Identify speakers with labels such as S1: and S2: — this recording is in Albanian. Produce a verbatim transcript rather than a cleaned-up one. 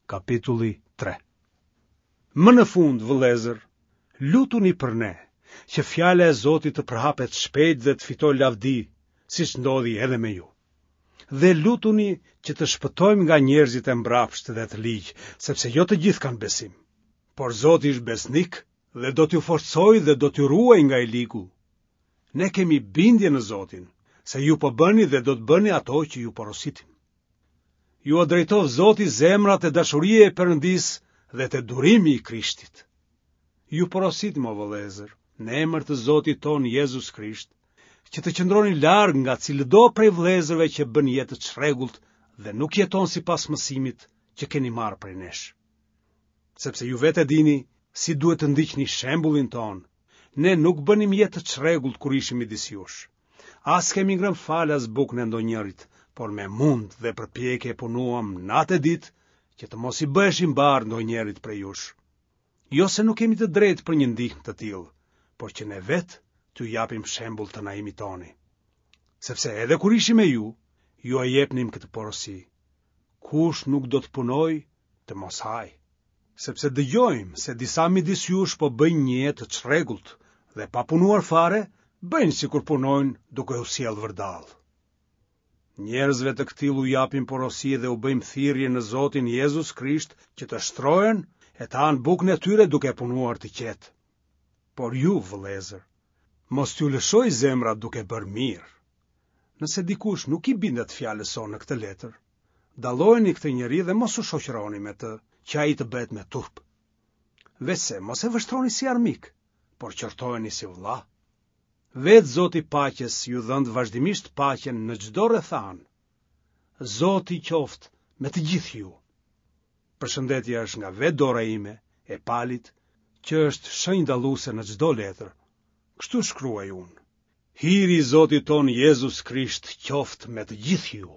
S1: Kapitulli tre. Më në fund, vëllezër, lutuni për ne, që fjala e Zotit të përhapet shpejt dhe të fitojë lavdi, siç ndodhi edhe me ju. Dhe lutuni që të shpëtojmë nga njerëzit e mbrapshtë dhe të ligj, sepse jo të gjithë kanë besim. Por Zoti është besnik dhe do t'ju forcojë dhe do t'ju ruajë nga i ligu. Ne kemi bindje në Zotin, se ju po bëni dhe do të bëni ato që ju porositim. Jua drejtoftë Zoti zemrat te dashuria e Perëndisë dhe te durimi i Krishtit. Ju porositim, o vëllezër, në emër të Zotit tonë Jezus Krisht, që të qëndroni larg nga cilëdo prej vëllezërve që bën jetë të çrregullt dhe nuk jeton sipas mësimit që keni marrë prej nesh. Sepse ju vetë e dini si duhet të ndiqni shembullin tonë. Ne nuk bënim jetë të çrregullt kur ishim midis jush. As kemi ngrënë falas bukën e ndonjërit, por me mund dhe përpjekje punuam natë e ditë që të mos i bëheshim barrë ndonjërit prej jush. Jo se nuk kemi të drejtë për një ndihmë të tillë, por që ne vetë t'ju japim shembull të na imitoni. Sepse edhe kur ishim me ju, jua jepnim këtë porosi. Kush nuk do të punojë, të mos hajë. Sepse dëgjojmë se disa midis jush po bëjnë një jetë të çrregullt dhe pa punuar fare, bëjnë sikur punojnë duke u sjellë vërdallë. Njerëzve të këtillë u japim porosi dhe u bëjmë thirrje në Zotin Jezus Krisht që të shtrohen e të hanë bukën e tyre duke punuar të qetë. Por ju, vëllezër, mos t'ju lëshojë zemra duke bërë mirë. Nëse dikush nuk i bindet fjalës sonë në këtë letër, dallojeni këtë njeri dhe mos u shoqëroni me të, që ai të bëhet me turp. Veçse mos e vështroni si armik, por qortojeni si vëlla. Vetë Zoti i paqes ju dhëntë vazhdimisht paqen në çdo rrethanë. Zoti qoftë me të gjithë ju. Përshëndetja është nga vetë dora ime, e Palit, që është shenjë dalluese në çdo letër. Kështu shkruaj unë. Hiri i Zotit tonë Jezus Krisht qoftë me të gjithë ju.